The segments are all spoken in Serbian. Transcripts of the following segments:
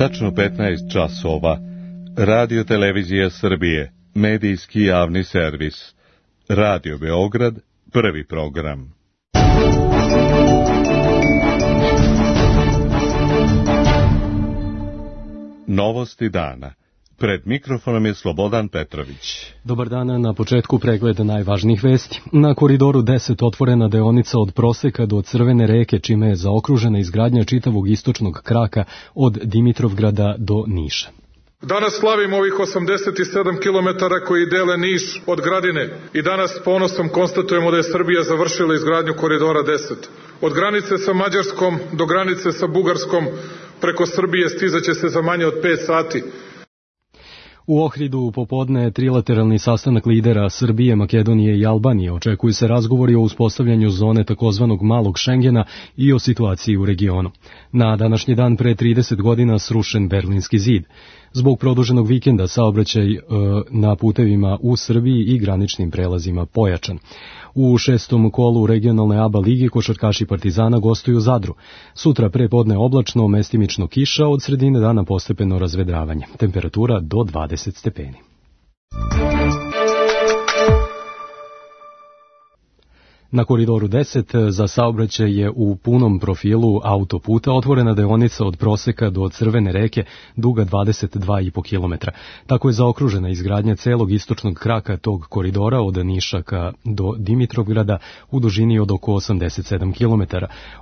tačno 15 časova. Radio Televizija Srbije, medijski javni servis. Radio Beograd, prvi program. Novosti dana. Pred mikrofonom je Slobodan Petrović. Dobar dan, na početku pregleda najvažnijih vesti. Na Koridoru 10 otvorena deonica od Proseka do Crvene reke, čime je zaokružena izgradnja čitavog istočnog kraka od Dimitrovgrada do Niša. Danas slavimo ovih 87 kilometara koji dele Niš od Gradine i danas s ponosom konstatujemo da je Srbija završila izgradnju Koridora 10. Od granice sa Mađarskom do granice sa Bugarskom preko Srbije stizaće se za manje od 5 sati. U Ohridu popodne trilateralni sastanak lidera Srbije, Makedonije i Albanije. Očekuju se razgovori o uspostavljanju zone takozvanog malog Šengena i o situaciji u regionu. Na današnji dan pre 30 godina srušen Berlinski zid. Zbog produženog vikenda saobraćaj na putevima u Srbiji i graničnim prelazima pojačan. U šestom kolu regionalne ABA ligi košarkaši Partizana gostuju Zadru. Sutra prepodne oblačno, mestimično kiša, od sredine dana postepeno razvedravanje. Temperatura do 20 stepeni. Na Koridoru 10 za saobraćaj je u punom profilu autoputa otvorena deonica od Proseka do Crvene reke duga 22,5 km. Tako je zaokružena izgradnja celog istočnog kraka tog koridora od Nišaka do Dimitrovgrada u dužini od oko 87 km.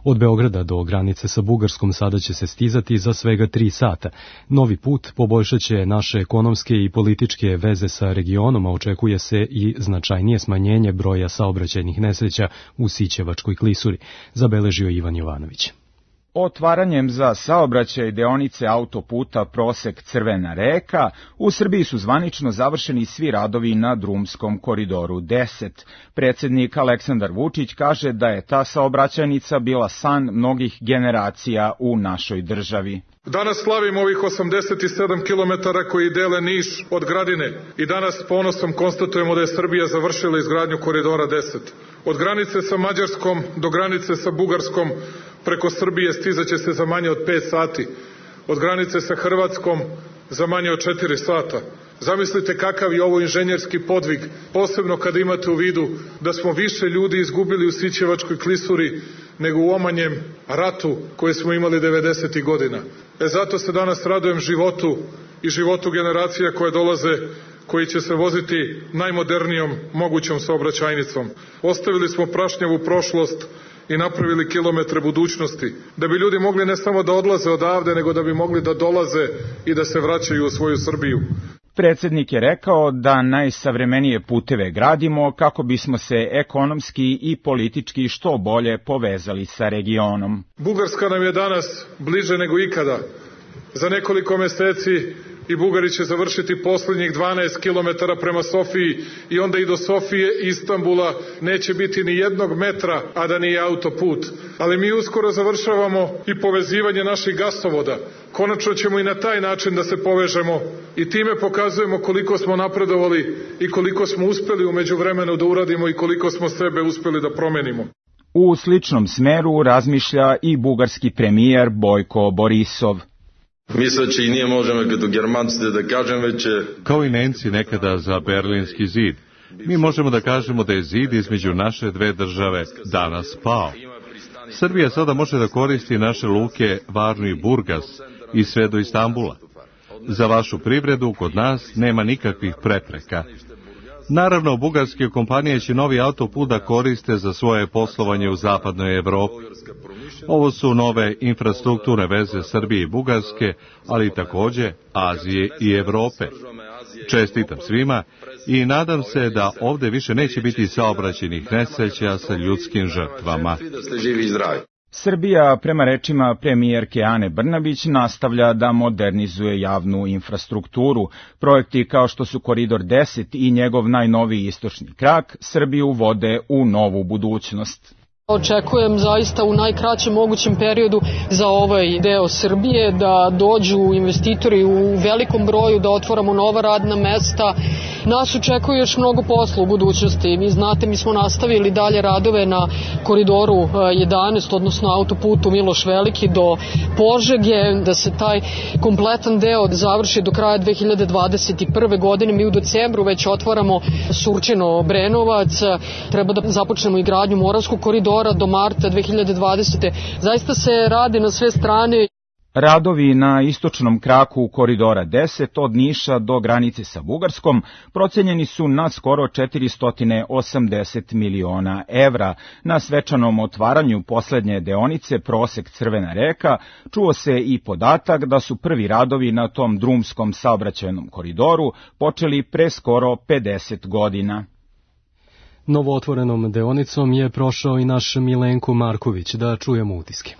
Od Beograda do granice sa Bugarskom sada će se stizati za svega 3 sata. Novi put poboljšaće naše ekonomske i političke veze sa regionom, a očekuje se i značajnije smanjenje broja saobraćajnih nesreća u Sićevačkoj klisuri, zabeležio Ivan Jovanović. Otvaranjem za saobraćaj deonice autoputa Prosek Crvena reka, u Srbiji su zvanično završeni svi radovi na drumskom Koridoru 10. Predsjednik Aleksandar Vučić kaže da je ta saobraćajnica bila san mnogih generacija u našoj državi. Danas slavimo ovih 87 kilometara koji dele Niš od Gradine i danas s ponosom konstatujemo da je Srbija završila izgradnju Koridora 10. Od granice sa Mađarskom do granice sa Bugarskom preko Srbije stizaće se za manje od 5 sati. Od granice sa Hrvatskom za manje od 4 sata. Zamislite kakav je ovo inženjerski podvig, posebno kada imate u vidu da smo više ljudi izgubili u Sićevačkoj klisuri nego u omanjem ratu koje smo imali 90. godina. Zato se danas radujem životu i životu generacija koje dolaze, koji će se voziti najmodernijom mogućom saobraćajnicom. Ostavili smo prašnjavu prošlost i napravili kilometre budućnosti, da bi ljudi mogli ne samo da odlaze odavde, nego da bi mogli da dolaze i da se vraćaju u svoju Srbiju. Predsjednik je rekao da najsavremenije puteve gradimo kako bismo se ekonomski i politički što bolje povezali sa regionom. Bugarska nam je danas bliže nego ikada. Za nekoliko meseci i Bugari će završiti posljednjih 12 kilometara prema Sofiji i onda i do Sofije i Istanbula neće biti ni jednog metra, a da nije autoput. Ali mi uskoro završavamo i povezivanje naših gasovoda. Konačno ćemo i na taj način da se povežemo i time pokazujemo koliko smo napredovali i koliko smo uspeli u međuvremenu da uradimo i koliko smo sebe uspeli da promenimo. U sličnom smeru razmišlja i bugarski premijer Bojko Borisov. Мисля, че и ние можем като германците да кажем, че... Kao i Nemci nekada za Berlinski zid, mi možemo da kažemo da je zid između naše dve države danas pao. Srbija sada može da koristi naše luke Varnu i Burgas i sve do Istambula. Za vašu privredu kod nas nema nikakvih prepreka. Naravno, bugarske kompanije će novi autoput da koriste za svoje poslovanje u zapadnoj Evropi. Ovo su nove infrastrukturne veze Srbije i Bugarske, ali takođe Azije i Evrope. Čestitam svima i nadam se da ovde više neće biti saobraćajnih nesreća sa ljudskim žrtvama. Srbija, prema rečima premijerke Ane Brnabić, nastavlja da modernizuje javnu infrastrukturu. Projekti kao što su Koridor 10 i njegov najnoviji istočni krak Srbiju vode u novu budućnost. Očekujem zaista u najkraćem mogućem periodu za ovaj deo Srbije da dođu investitori u velikom broju, da otvaramo nova radna mesta nas očekuje još mnogo posla u budućnosti. Vi znate, mi smo nastavili dalje radove na koridoru 11, odnosno autoputu Miloš Veliki do Požege, da se taj kompletan deo završi do kraja 2021. godine. Mi u decembru već otvaramo Surčino-Brenovac, treba da započnemo i gradnju Moravskog koridora do marta 2020. Zaista se radi na sve strane. Radovi na istočnom kraku koridora 10 od Niša do granice sa Bugarskom procenjeni su na skoro 480 miliona evra. Na svečanom otvaranju poslednje deonice Prosek Crvena reka čuo se i podatak da su prvi radovi na tom drumskom saobraćajnom koridoru počeli pre skoro 50 godina. Novootvorenom deonicom je prošao i naš Milenko Marković, da čujemo utiske.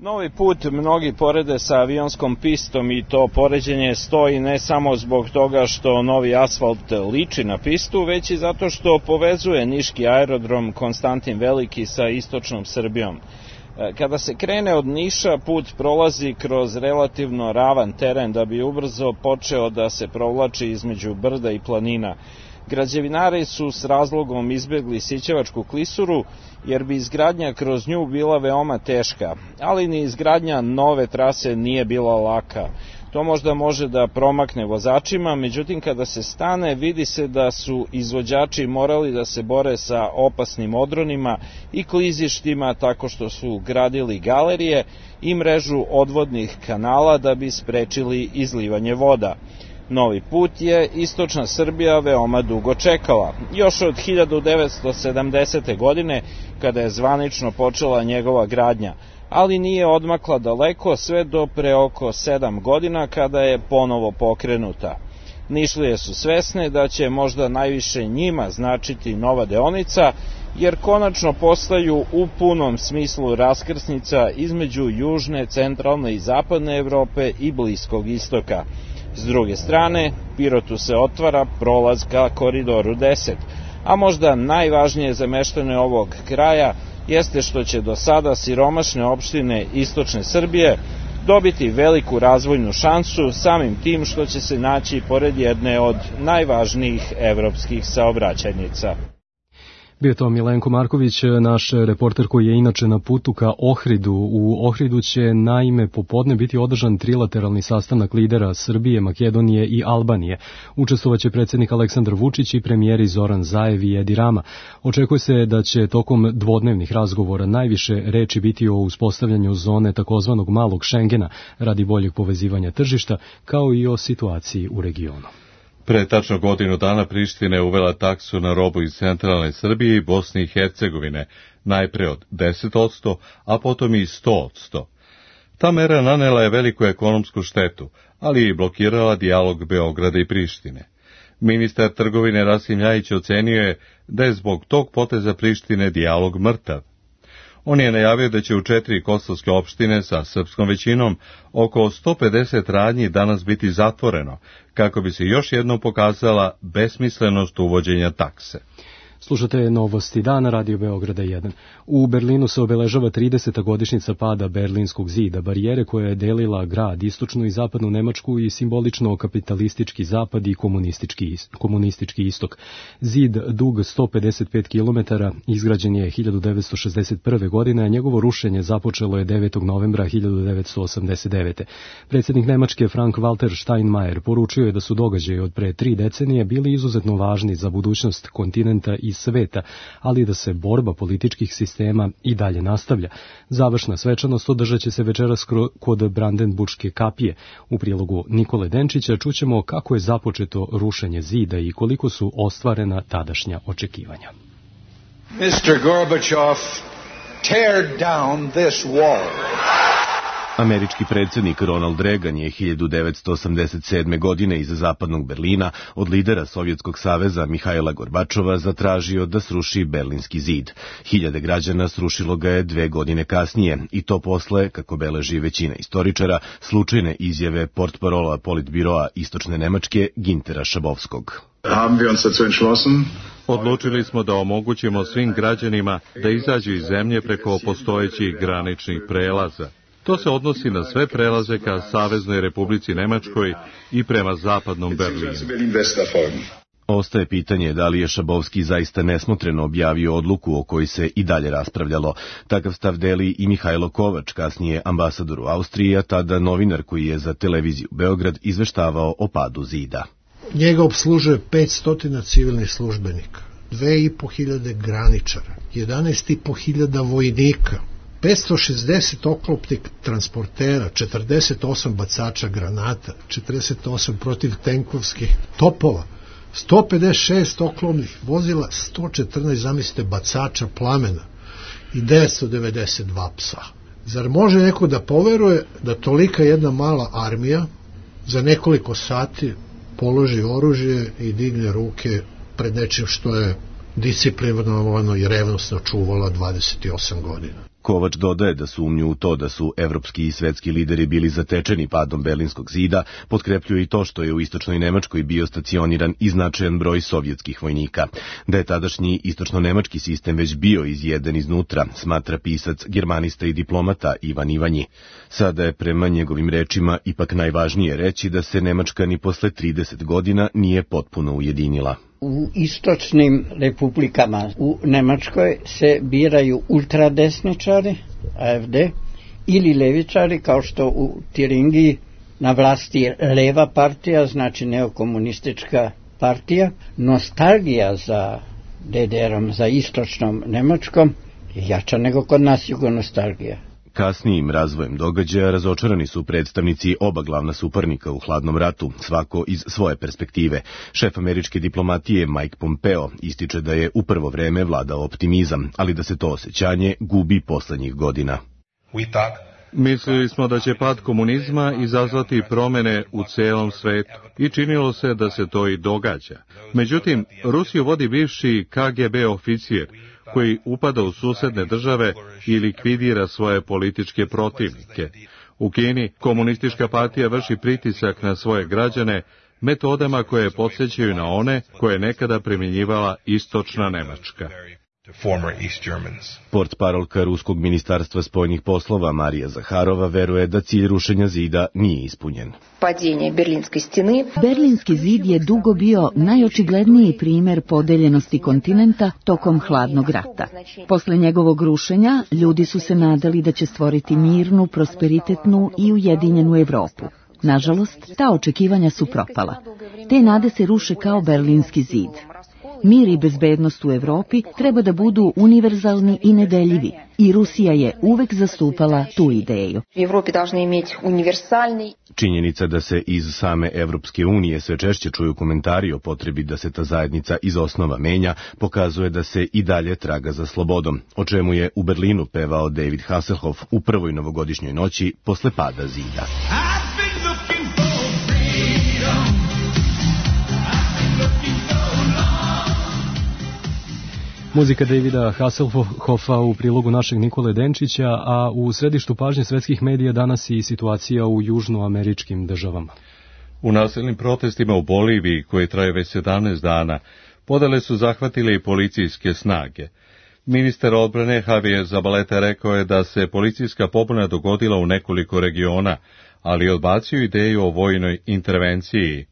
Novi put mnogi porede sa avionskom pistom i to poređenje stoji ne samo zbog toga što novi asfalt liči na pistu, već i zato što povezuje niški aerodrom Konstantin Veliki sa istočnom Srbijom. Kada se krene od Niša, put prolazi kroz relativno ravan teren da bi ubrzo počeo da se provlači između brda i planina. Građevinari su s razlogom izbegli Sićevačku klisuru, jer bi izgradnja kroz nju bila veoma teška, ali ni izgradnja nove trase nije bila laka. To možda može da promakne vozačima, međutim kada se stane vidi se da su izvođači morali da se bore sa opasnim odronima i klizištima tako što su gradili galerije i mrežu odvodnih kanala da bi sprečili izlivanje voda. Novi put je istočna Srbija veoma dugo čekala. Još od 1970. godine, kada je zvanično počela njegova gradnja, ali nije odmakla daleko sve do pre oko 7 godina kada je ponovo pokrenuta. Nišlije su svesne da će možda najviše njima značiti nova deonica, jer konačno postaju u punom smislu raskrsnica između južne, centralne i zapadne Evrope i Bliskog istoka. S druge strane, Pirotu se otvara prolaz ka koridoru 10, a možda najvažnije za meštane ovog kraja jeste što će do sada siromašne opštine istočne Srbije dobiti veliku razvojnu šansu samim tim što će se naći pored jedne od najvažnijih evropskih saobraćajnica. Bio to Milenko Marković, naš reporter koji je inače na putu ka Ohridu. U Ohridu će naime popodne biti održan trilateralni sastanak lidera Srbije, Makedonije i Albanije. Učestvovaće predsjednik Aleksandar Vučić i premijeri Zoran Zaev i Edi Rama. Očekuje se da će tokom dvodnevnih razgovora najviše reči biti o uspostavljanju zone takozvanog malog Šengena radi boljeg povezivanja tržišta, kao i o situaciji u regionu. Pre tačno godinu dana Priština je uvela taksu na robu iz centralne Srbije i Bosne i Hercegovine, najpre od 10%, a potom i 100%. Ta mera nanela je veliku ekonomsku štetu, ali i blokirala dijalog Beograda i Prištine. Ministar trgovine Rasim Ljajić ocenio je da je zbog tog poteza Prištine dijalog mrtav. On je najavio da će u 4 kosovske opštine sa srpskom većinom oko 150 radnji danas biti zatvoreno, kako bi se još jednom pokazala besmislenost uvođenja takse. Slušate Novosti dana, Radio Beograda 1. U Berlinu se obeležava 30. godišnjica pada Berlinskog zida, barijere koja je delila grad, istočnu i zapadnu Nemačku i simbolično kapitalistički zapad i komunistički istok. Zid dug 155 km, izgrađen je 1961. godine, a njegovo rušenje započelo je 9. novembra 1989. Predsjednik Nemačke Frank-Walter Steinmeier poručio je da su događaji od pre 3 decenije bili izuzetno važni za budućnost kontinenta i sveta, ali da se borba političkih sistema i dalje nastavlja. Završna svečanost održat će se večeras kod Brandenburške kapije. U prilogu Nikole Denčića čućemo kako je započeto rušenje zida i koliko su ostvarena tadašnja očekivanja. Mr. Gorbachev, tear down this wall. Američki predsjednik Ronald Reagan je 1987. godine iz zapadnog Berlina od lidera Sovjetskog saveza Mihajla Gorbačova zatražio da sruši Berlinski zid. Hiljade građana srušilo ga je 2 godine kasnije i to posle, kako beleži većina istoričara, slučajne izjave portparola Politbiroa Istočne Nemačke Gintera Šabovskog. Odlučili smo da omogućimo svim građanima da izađu iz zemlje preko postojećih graničnih prelaza. To se odnosi na sve prelaze ka Saveznoj Republici Nemačkoj i prema zapadnom Berlinu. Ostaje pitanje da li je Šabovski zaista nesmotreno objavio odluku o kojoj se i dalje raspravljalo. Takav stav deli i Mihajlo Kovač, kasnije ambasador u Austriji, a tada novinar koji je za televiziju Beograd izveštavao o padu zida. Njega obslužuje 500 civilnih službenika, 2500 graničara, 11.500 vojnika, 560 oklopnih transportera, 48 bacača granata, 48 protivtenkovskih topova, 156 oklopnih vozila, 114, zamislite, bacača plamena i 992 psa. Zar može neko da poveruje da tolika jedna mala armija za nekoliko sati položi oružje i digne ruke pred nečim što je disciplinovano i revnosno čuvala 28 godina? Kovač dodaje da sumnju u to da su evropski i svetski lideri bili zatečeni padom Berlinskog zida, potkrepljuje i to što je u istočnoj Nemačkoj bio stacioniran i značajan broj sovjetskih vojnika. Da je tadašnji istočno-nemački sistem već bio izjeden iznutra, smatra pisac, germanista i diplomata Ivan Ivanji. Sada je prema njegovim rečima ipak najvažnije reći da se Nemačka ni posle 30 godina nije potpuno ujedinila. U istočnim republikama u Nemačkoj se biraju ultradesničari, AfD, ili levičari, kao što u Tiringiji na vlasti je leva partija, znači neokomunistička partija. Nostalgija za DDR-om, za istočnom Nemačkom je jača nego kod nas jugonostalgija. Kasnijim razvojem događaja razočarani su predstavnici oba glavna suparnika u hladnom ratu, svako iz svoje perspektive. Šef američke diplomatije Mike Pompeo ističe da je u prvo vreme vladao optimizam, ali da se to osjećanje gubi poslednjih godina. Mislili smo da će pad komunizma izazvati promene u celom svetu i činilo se da se to i događa. Međutim, Rusiju vodi bivši KGB oficir koji upada u susedne države i likvidira svoje političke protivnike. U Kini komunistička partija vrši pritisak na svoje građane metodama koje podsjećaju na one koje je nekada primjenjivala istočna Nemačka. Portparolka Ruskog ministarstva spoljnih poslova Marija Zaharova veruje da cilj rušenja zida nije ispunjen. Berlinski zid je dugo bio najočigledniji primer podeljenosti kontinenta tokom hladnog rata. Posle njegovog rušenja ljudi su se nadali da će stvoriti mirnu, prosperitetnu i ujedinjenu Evropu. Nažalost, ta očekivanja su propala. Te nade se ruše kao Berlinski zid. Mir i bezbednost u Evropi treba da budu univerzalni i nedeljivi i Rusija je uvek zastupala tu ideju. Činjenica da se iz same Evropske unije sve češće čuju komentari o potrebi da se ta zajednica iz osnova menja, pokazuje da se i dalje traga za slobodom, o čemu je u Berlinu pevao David Hasselhoff u prvoj novogodišnjoj noći posle pada zida. Muzika Davida Hasselhoffa u prilogu našeg Nikole Denčića, a u središtu pažnje svetskih medija danas i situacija u južnoameričkim državama. U nasilnim protestima u Boliviji, koji traju već 17 dana, podele su zahvatile i policijske snage. Ministar odbrane Javier Zabaleta rekao je da se policijska pobuna dogodila u nekoliko regiona, ali odbacio ideju o vojnoj intervenciji.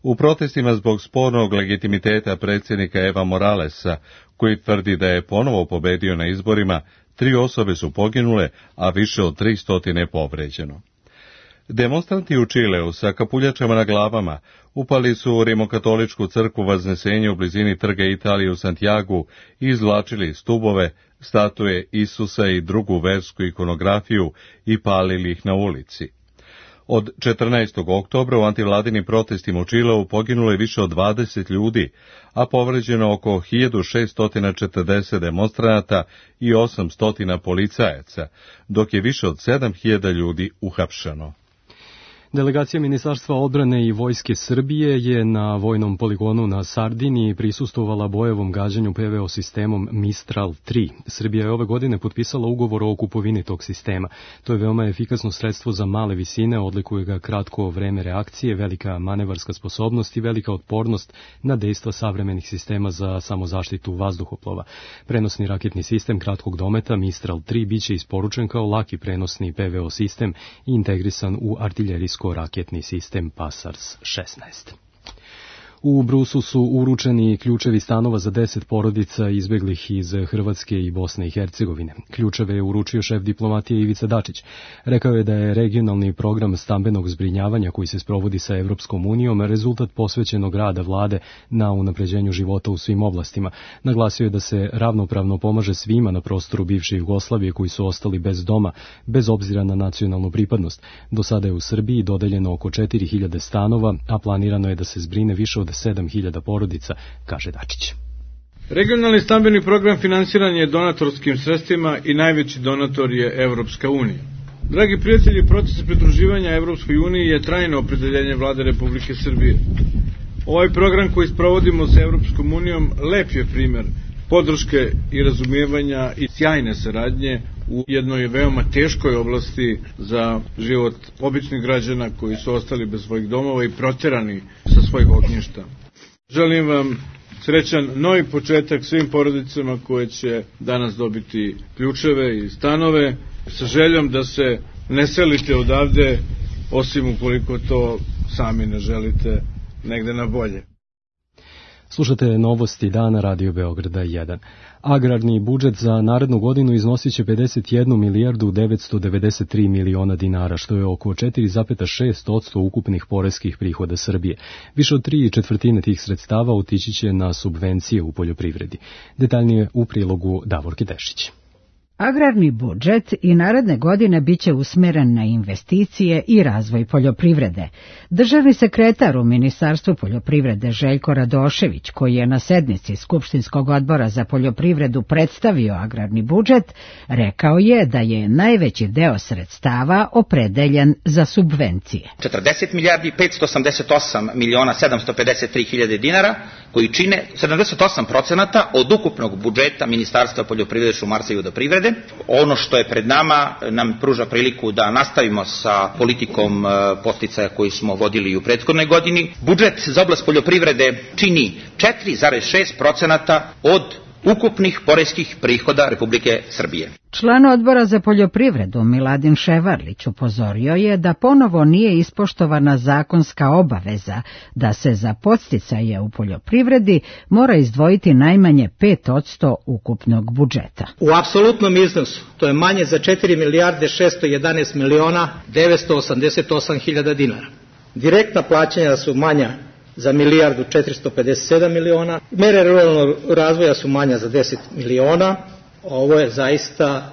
U protestima zbog spornog legitimiteta predsjednika Eva Moralesa, koji tvrdi da je ponovo pobedio na izborima, 3 osobe su poginule, a više od 300 je povređeno. Demonstranti u Čileu sa kapuljačama na glavama upali su u rimokatoličku crkvu Vaznesenja u blizini trga Italije u Santiagu i izvlačili stubove, statue Isusa i drugu versku ikonografiju i palili ih na ulici. Od 14. oktobra u antivladinim protestima u Čileu poginulo je više od 20 ljudi, a povređeno oko 1640 demonstranata i 800 policajaca, dok je više od 7000 ljudi uhapšeno. Delegacija Ministarstva odbrane i Vojske Srbije je na vojnom poligonu na Sardiniji prisustvovala bojevom gađanju PVO sistemom Mistral 3. Srbija je ove godine potpisala ugovor o kupovini tog sistema. To je veoma efikasno sredstvo za male visine, odlikuje ga kratko vreme reakcije, velika manevarska sposobnost i velika otpornost na dejstva savremenih sistema za samozaštitu vazduhoplova. Prenosni raketni sistem kratkog dometa Mistral 3 biće isporučen kao laki prenosni PVO sistem i integrisan u artiljerijsko raketni sistem Pasars 16. U Brusu su uručeni ključevi stanova za 10 porodica izbeglih iz Hrvatske i Bosne i Hercegovine. Ključeve je uručio šef diplomatije Ivica Dačić. Rekao je da je regionalni program stambenog zbrinjavanja koji se sprovodi sa Evropskom unijom rezultat posvećenog rada vlade na unapređenju života u svim oblastima. Naglasio je da se ravnopravno pomaže svima na prostoru bivše Jugoslavije koji su ostali bez doma, bez obzira na nacionalnu pripadnost. Do sada je u Srbiji dodeljeno oko 4000 stanova, a planirano je da se zbrine više od 7000 porodica, kaže Dačić. Regionalni stambeni program finansiran je donatorskim sredstvima i najveći donator je Evropska unija. Dragi prijatelji, proces pridruživanja Evropskoj uniji je trajno opredeljenje Vlade Republike Srbije. Ovaj program koji sprovodimo sa Evropskom unijom lep je primer podrške i razumijevanja i sjajne saradnje u jednoj veoma teškoj oblasti za život običnih građana koji su ostali bez svojih domova i proterani sa svojih ognjišta. Želim vam srećan novi početak svim porodicama koje će danas dobiti ključeve i stanove, sa željom da se ne selite odavde, osim ukoliko to sami ne želite negde na bolje. Slušate novosti dana Radio Beograda 1. Agrarni budžet za narednu godinu iznosit će 51 milijardu 993 miliona dinara, što je oko 4,6% ukupnih poreskih prihoda Srbije. Više od 3/4 tih sredstava otići će na subvencije u poljoprivredi. Detaljnije u prilogu Davorke Dešić. Agrarni budžet i naredne godine biće usmeren na investicije i razvoj poljoprivrede. Državni sekretar u Ministarstvu poljoprivrede Željko Radošević, koji je na sednici Skupštinskog odbora za poljoprivredu predstavio agrarni budžet, rekao je da je najveći deo sredstava opredeljen za subvencije. 40 milijardi 588 miliona 753 hiljade dinara, koji čine 78% od ukupnog budžeta Ministarstva poljoprivrede, šumarstva i vodoprivrede. Ono što je pred nama nam pruža priliku da nastavimo sa politikom podsticaja koji smo vodili u prethodnoj godini. Budžet za oblast poljoprivrede čini 4,6% od ukupnih poreskih prihoda Republike Srbije. Član odbora za poljoprivredu Miladin Ševarlić upozorio je da ponovo nije ispoštovana zakonska obaveza da se za podsticaje u poljoprivredi mora izdvojiti najmanje 5% ukupnog budžeta. U apsolutnom iznosu to je manje za 4 milijarde 611 miliona 988 hiljada dinara. Direktna plaćanja su manja za milijardu 457 miliona, mere ruralnog razvoja su manja za 10 miliona. Ovo je zaista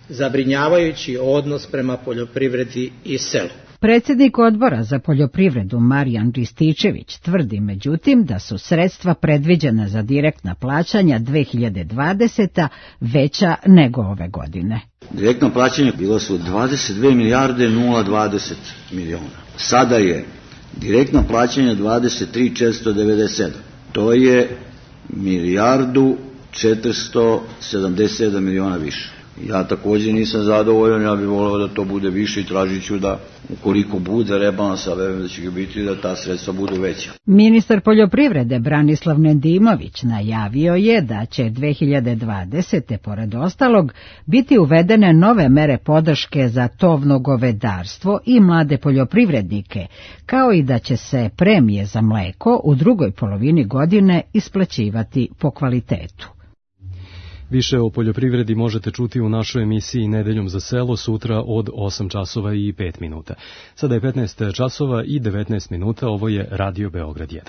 zabrinjavajući odnos prema poljoprivredi i selu. Predsjednik odbora za poljoprivredu Marijan Rističević tvrdi međutim da su sredstva predviđena za direktna plaćanja 2020. veća nego ove godine. Direktno plaćanje bilo su 22 milijarde 020 miliona. Sada je direktno plaćanje 23.497. To je milijardu 477 miliona više. Ja također nisam zadovoljan, ja bih voleo da to bude više i tražit ću da ukoliko bude rebalansa, verujem da će ga biti, da ta sredstva budu veća. Ministar poljoprivrede Branislav Nedimović najavio je da će 2020. pored ostalog biti uvedene nove mere podrške za tovno govedarstvo i mlade poljoprivrednike, kao i da će se premije za mleko u drugoj polovini godine isplaćivati po kvalitetu. Više o poljoprivredi možete čuti u našoj emisiji Nedeljom za selo sutra od 8 časova i 5 minuta. Sada je 15 časova i 19 minuta, ovo je Radio Beograd 1.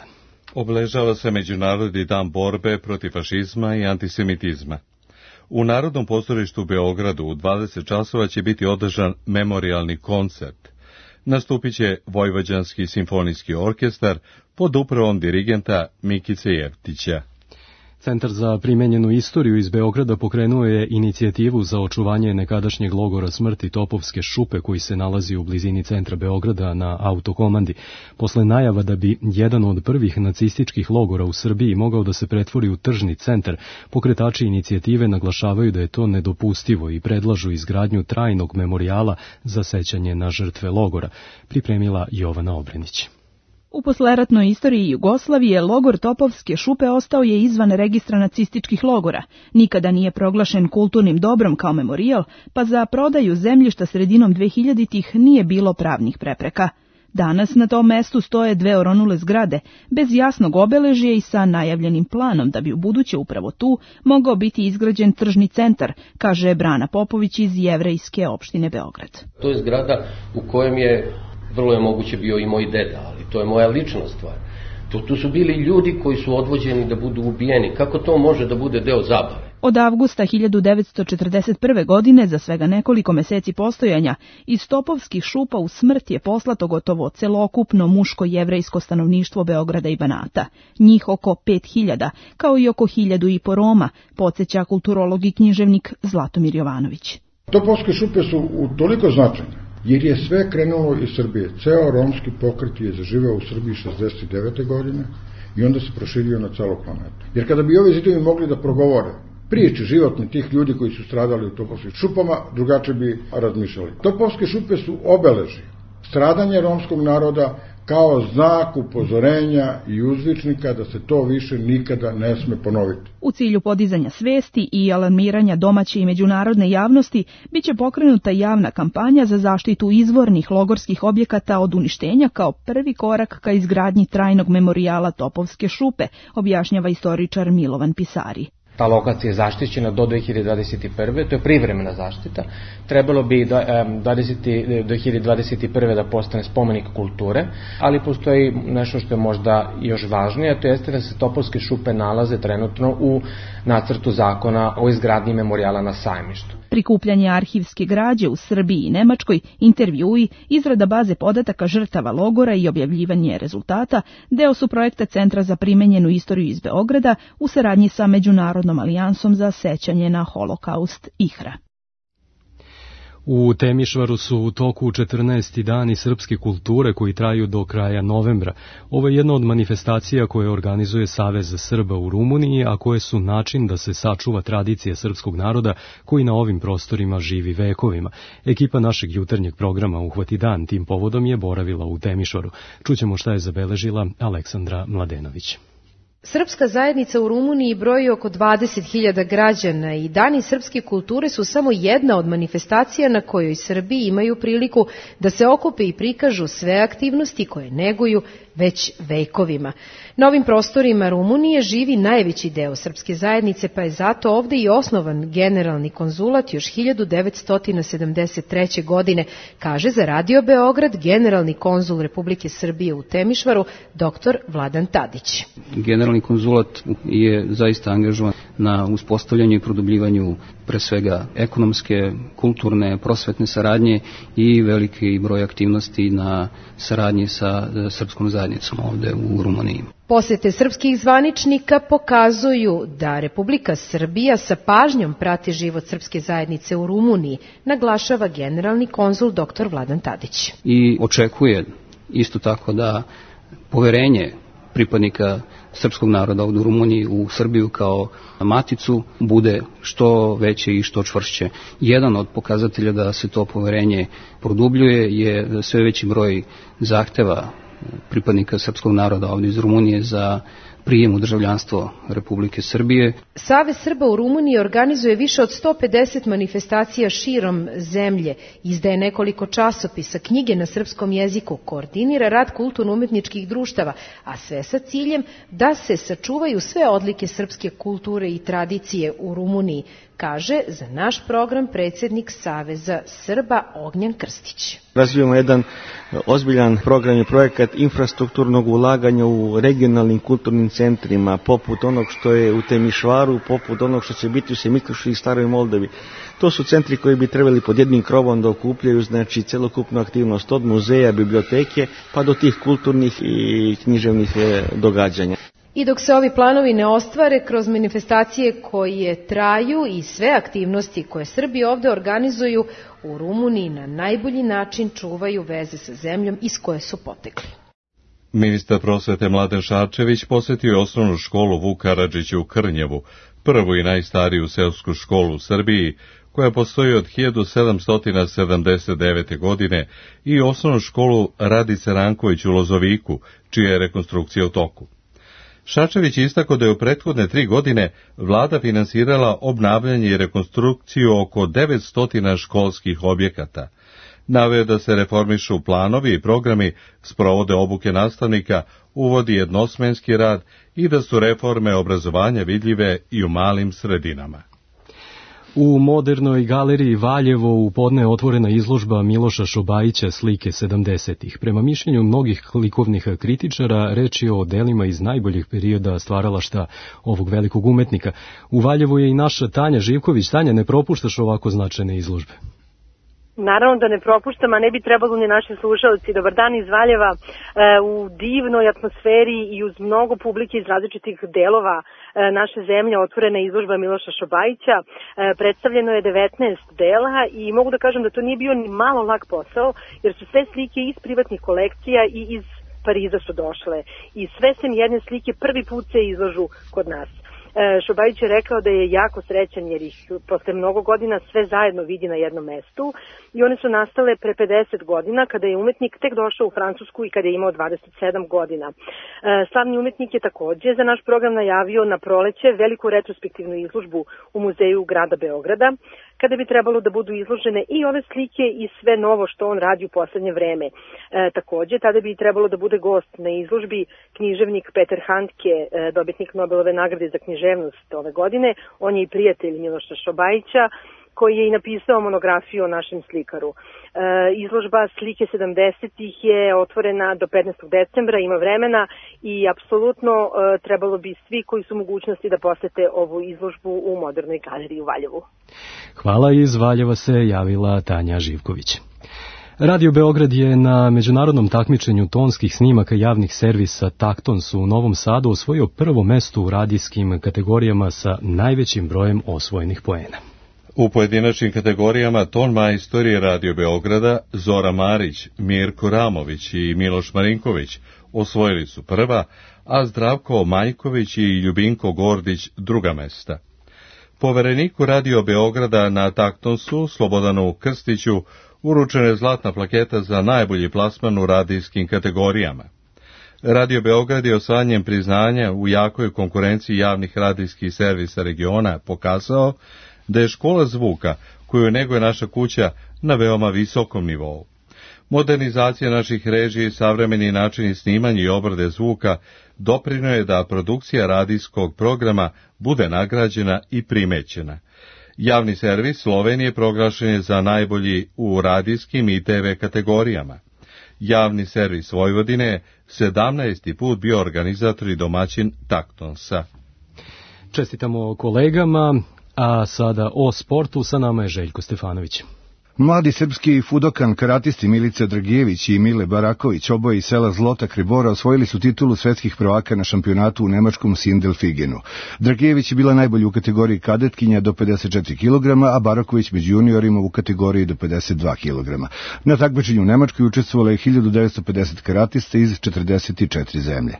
Obeležava se Međunarodni dan borbe protiv fašizma i antisemitizma. U Narodnom pozorištu u Beogradu u 20 časova će biti održan memorialni koncert. Nastupit će Vojvođanski simfonijski orkestar pod upravom dirigenta Mikice Jevtića. Centar za primenjenu istoriju iz Beograda pokrenuo je inicijativu za očuvanje nekadašnjeg logora smrti Topovske šupe koji se nalazi u blizini centra Beograda na Autokomandi. Posle najava da bi jedan od prvih nacističkih logora u Srbiji mogao da se pretvori u tržni centar, pokretači inicijative naglašavaju da je to nedopustivo i predlažu izgradnju trajnog memorijala za sećanje na žrtve logora, pripremila Jovana Obrenić. U posleratnoj istoriji Jugoslavije logor Topovske šupe ostao je izvan registra nacističkih logora. Nikada nije proglašen kulturnim dobrom kao memorijal, pa za prodaju zemljišta sredinom 2000-ih nije bilo pravnih prepreka. Danas na tom mestu stoje dve oronule zgrade, bez jasnog obeležja i sa najavljenim planom da bi u buduće upravo tu mogao biti izgrađen tržni centar, kaže Brana Popović iz Jevrejske opštine Beograd. To je zgrada u kojem je vrlo je moguće bio i moj deda, ali to je moja lična stvar. Tu su bili ljudi koji su odvođeni da budu ubijeni. Kako to može da bude deo zabave? Od avgusta 1941. godine, za svega nekoliko meseci postojanja, iz Topovskih šupa u smrt je poslato gotovo celokupno muško-jevrejsko stanovništvo Beograda i Banata. Njih oko 5000, kao i oko 1500 Roma, podsjeća kulturolog i književnik Zlatomir Jovanović. Topovske šupe su toliko značajne, jer je sve krenulo iz Srbije. Ceo romski pokret je zaživeo u Srbiji 69. godine i onda se proširio na celu planetu. Jer kada bi ovi zidovi mogli da progovore priče životne tih ljudi koji su stradali u Topovskim šupama, drugačije bi razmišljali. Topovske šupe su obeležje stradanja romskog naroda kao znak upozorenja i uzvičnika da se to više nikada ne sme ponoviti. U cilju podizanja svesti i alarmiranja domaće i međunarodne javnosti biće pokrenuta javna kampanja za zaštitu izvornih logorskih objekata od uništenja kao prvi korak ka izgradnji trajnog memorijala Topovske šupe, objašnjava istoričar Milovan Pisari. Ta lokacija je zaštićena do 2021. To je privremena zaštita. Trebalo bi do 2021. da postane spomenik kulture, ali postoji nešto što je možda još važnije, a to jeste da se Topovske šupe nalaze trenutno u nacrtu zakona o izgradnji memorijala na Sajmištu. Prikupljanje arhivske građe u Srbiji i Nemačkoj, intervjui, izrada baze podataka žrtava logora i objavljivanje rezultata deo su projekta Centra za primenjenu istoriju iz Beograda u saradnji sa Međunarodnom alijansom za sećanje na holokaust IHRA. U Temišvaru su u toku 14. dani srpske kulture koji traju do kraja novembra. Ovo je jedna od manifestacija koje organizuje Savez Srba u Rumuniji, a koje su način da se sačuva tradicija srpskog naroda koji na ovim prostorima živi vekovima. Ekipa našeg jutarnjeg programa Uhvati dan tim povodom je boravila u Temišvaru. Čućemo šta je zabeležila Aleksandra Mladenović. Srpska zajednica u Rumuniji broji oko 20.000 građana i Dani srpske kulture su samo jedna od manifestacija na kojoj Srbi imaju priliku da se okupe i prikažu sve aktivnosti koje neguju već vekovima. Na ovim prostorima Rumunije živi najveći deo srpske zajednice, pa je zato ovde i osnovan generalni konzulat još 1973. godine, kaže za Radio Beograd generalni konzul Republike Srbije u Temišvaru, dr. Vladan Tadić. Generalni konzulat je zaista angažovan na uspostavljanju i produbljivanju pre svega ekonomske, kulturne, prosvetne saradnje i veliki broj aktivnosti na saradnji sa srpskom zajednicom ovde u Rumuniji. Posete srpskih zvaničnika pokazuju da Republika Srbija sa pažnjom prati život srpske zajednice u Rumuniji, naglašava generalni konzul dr. Vladan Tadić. I očekuje isto tako da poverenje pripadnika srpskog naroda ovdje u Rumuniji u Srbiju kao maticu bude što veće i što čvršće. Jedan od pokazatelja da se to poverenje produbljuje je sve veći broj zahteva pripadnika srpskog naroda ovdje iz Rumunije za prijem u državljanstvo Republike Srbije. Savez Srba u Rumuniji organizuje više od 150 manifestacija širom zemlje, izdaje nekoliko časopisa, knjige na srpskom jeziku, koordinira rad kulturno-umetničkih društava, a sve sa ciljem da se sačuvaju sve odlike srpske kulture i tradicije u Rumuniji, kaže za naš program predsjednik Saveza Srba Ognjan Krstić. Razvijamo jedan ozbiljan program i projekat infrastrukturnog ulaganja u regionalnim kulturnim centrima, poput onog što je u Temišvaru, poput onog što će biti u Semikošu i Staroj Moldavi. To su centri koji bi trebali pod jednim krovom da okupljaju, znači, celokupnu aktivnost od muzeja, biblioteke, pa do tih kulturnih i književnih događanja. I dok se ovi planovi ne ostvare kroz manifestacije koje traju i sve aktivnosti koje Srbi ovde organizuju, u Rumuniji na najbolji način čuvaju veze sa zemljom iz koje su potekli. Ministar prosvete Mladen Šarčević posjetio je osnovnu školu Vuk Karadžić u Krnjevu, prvu i najstariju seosku školu u Srbiji, koja postoji od 1779. godine, i osnovnu školu Radice Ranković u Lozoviku, čija je rekonstrukcija u toku. Šarčević istakao da je u prethodne 3 godine vlada finansirala obnavljanje i rekonstrukciju oko 900 školskih objekata. Naveo da se reformišu planovi i programi, sprovode obuke nastavnika, uvodi jednosmenski rad i da su reforme obrazovanja vidljive i u malim sredinama. U Modernoj galeriji Valjevo u podne otvorena izložba Miloša Šobajića slike 70-ih. Prema mišljenju mnogih likovnih kritičara, reč je o delima iz najboljih perioda stvaralašta ovog velikog umetnika. U Valjevu je i naša Tanja Živković. Tanja, ne propuštaš ovako značajne izložbe? Naravno da ne propuštam, a ne bi trebalo ni naši slušalci. Dobar dan iz Valjeva, u divnoj atmosferi i uz mnogo publike iz različitih delova naše zemlje otvorena izložba Miloša Šobajića. Predstavljeno je 19 dela i mogu da kažem da to nije bio ni malo lak posao, jer su sve slike iz privatnih kolekcija i iz Pariza su došle. I sve sem jedne slike prvi put se izlažu kod nas. Šobajić je rekao da je jako srećan jer ih posle mnogo godina sve zajedno vidi na jednom mestu i one su nastale pre 50 godina kada je umetnik tek došao u Francusku i kada je imao 27 godina. Slavni umetnik je takođe za naš program najavio na proleće veliku retrospektivnu izložbu u muzeju grada Beograda, kada bi trebalo da budu izložene i ove slike i sve novo što on radi u poslednje vreme. Takođe, tada bi trebalo da bude gost na izložbi književnik Peter Handke, dobitnik Nobelove nagrade za književnost ove godine. On je i prijatelj Miloša Šobajića, koji je i napisao monografiju o našem slikaru. Izložba slike 70-ih je otvorena do 15. decembra, ima vremena i apsolutno trebalo bi svi koji su mogućnosti da posete ovu izložbu u Modernoj galeriji u Valjevu. Hvala, iz Valjeva se javila Tanja Živković. Radio Beograd je na međunarodnom takmičenju tonskih snimaka javnih servisa Taktons u Novom Sadu osvojio prvo mesto u radijskim kategorijama sa najvećim brojem osvojenih poena. U pojedinačnim kategorijama ton majstori Radio Beograda Zora Marić, Mirko Ramović i Miloš Marinković osvojili su prva, a Zdravko Majković i Ljubinko Gordić druga mesta. Povereniku Radio Beograda na Taktonsu, Slobodanu Krstiću, uručena je zlatna plaketa za najbolji plasman u radijskim kategorijama. Radio Beograd je osvajanjem priznanja u jakoj konkurenciji javnih radijskih servisa regiona pokazao da je škola zvuka, koju neguje naša kuća, na veoma visokom nivou. Modernizacija naših režija i savremeni načini snimanja i obrade zvuka doprinio je da produkcija radijskog programa bude nagrađena i primećena. Javni servis Slovenije proglašen je za najbolji u radijskim i TV kategorijama. Javni servis Vojvodine je 17. put bio organizator i domaćin Taktonsa. Čestitamo kolegama, a sada o sportu, sa nama je Željko Stefanović. Mladi srpski fudokan karatisti Milica Dragijević i Mile Baraković, oboje iz sela Zlota Kribora, osvojili su titulu svetskih prvaka na šampionatu u nemačkom Sindelfigenu. Dragijević je bila najbolji u kategoriji kadetkinja do 54 kg, a Baraković među juniorima u kategoriji do 52 kg. Na takmičenju u Nemačkoj učestvovalo je 1950 karatista iz 44 zemlje.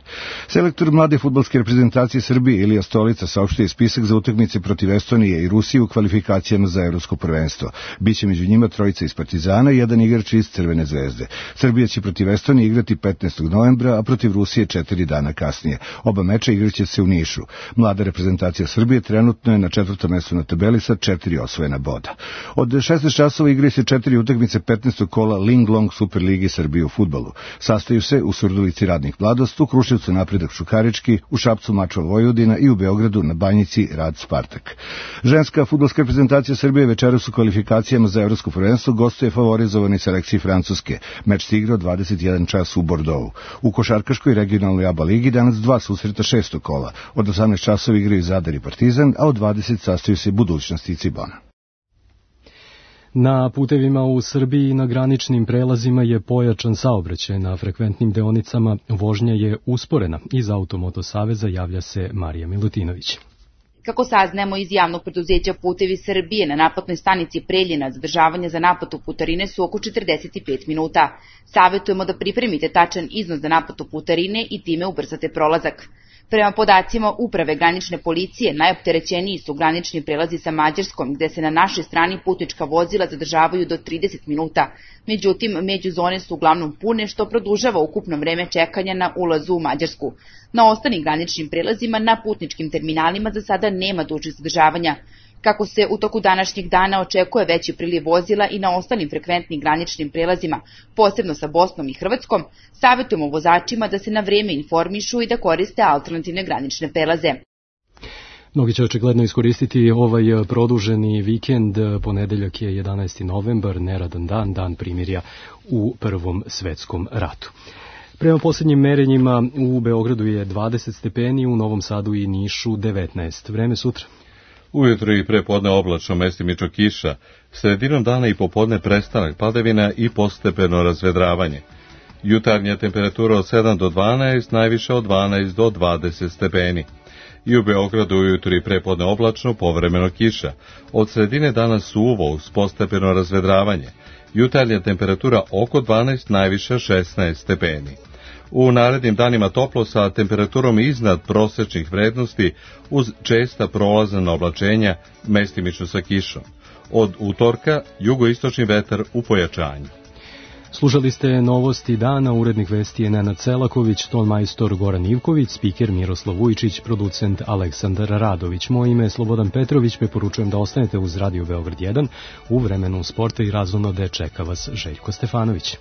Selektor mlade fudbalske reprezentacije Srbije Ilija Stolica saopštio je spisak za utakmice protiv Estonije i Rusije u kvalifikacijama za evropsko prvenstvo. Biće među njima trojica iz Partizana i jedan igrač iz Crvene zvezde. Srbija će protiv Estonije igrati 15. novembra, a protiv Rusije 4 dana kasnije. Oba meča igraće se u Nišu. Mlada reprezentacija Srbije trenutno je na 4. mestu na tabeli sa 4 osvojena boda. Od 16 časova igraju se 4 utakmice 15. kola Linglong Superligi Srbije u fudbalu. Sastaju se u Surdulici Radnik Mladost, u Kruševcu Napredak Šukarički, u Šapcu Mačva Vojvodina i u Beogradu na Banjici Rad Spartak. Ženska fudbalska reprezentacija Srbije večeras u kvalifikacijama za evropsko prvenstvo gostuje favorizovani selekciji Francuske. Meč se igrao 21 čas u Bordeauxu. U košarkaškoj regionalnoj ABA ligi danas 2 susreta 6. kola. Od 18 časova igraju Zadar i Partizan, a od 20 sastaju se Budućnost i Cibona. Na putevima u Srbiji i na graničnim prelazima je pojačan saobraćaj. Na frekventnim deonicama vožnja je usporena. Iz Automoto Saveza javlja se Marija Milutinović. Kako saznajemo iz javnog preduzeća Putevi Srbije, na naplatnoj stanici Preljina zadržavanje za naplatu putarine su oko 45 minuta. Savetujemo da pripremite tačan iznos za naplatu putarine i time ubrzate prolazak. Prema podacima Uprave granične policije, najopterećeniji su granični prelazi sa Mađarskom, gde se na našoj strani putnička vozila zadržavaju do 30 minuta. Međutim, međuzone su uglavnom pune, što produžava ukupno vreme čekanja na ulazu u Mađarsku. Na ostalim graničnim prelazima na putničkim terminalima za sada nema dužih zadržavanja. Kako se u toku današnjeg dana očekuje veći priliv vozila i na ostalim frekventnim graničnim prelazima, posebno sa Bosnom i Hrvatskom, savjetujemo vozačima da se na vrijeme informišu i da koriste alternativne granične prelaze. Mnogi će očigledno iskoristiti ovaj produženi vikend. Ponedeljak je 11. novembar, neradan dan, dan primirja u Prvom svetskom ratu. Prema posljednjim merenjima u Beogradu je 20 stepeni, u Novom Sadu i Nišu 19. Vreme sutra. Ujutro i prepodne oblačno, mestimično kiša, sredinom dana i popodne prestanak padavina i postepeno razvedravanje. Jutarnja temperatura od 7 do 12, najviše od 12 do 20 stepeni. I u Beogradu ujutro i prepodne oblačno, povremeno kiša. Od sredine dana suvo uz postepeno razvedravanje. Jutarnja temperatura oko 12, najviše 16 stepeni. U narednim danima toplo sa temperaturom iznad prosečnih vrednosti uz česta prolazna oblačenja, mestimično sa kišom. Od utorka jugoistočni vetar u pojačanju. Slušali ste novosti dana, urednik vesti je Nenad Selaković, tonmajstor Goran Ivković, spiker Miroslav Vujčić, producent Aleksandar Radović. Moje ime je Slobodan Petrović, preporučujem da ostanete uz Radio Beograd 1. U vremenu sporta i razonode čeka vas Željko Stefanović.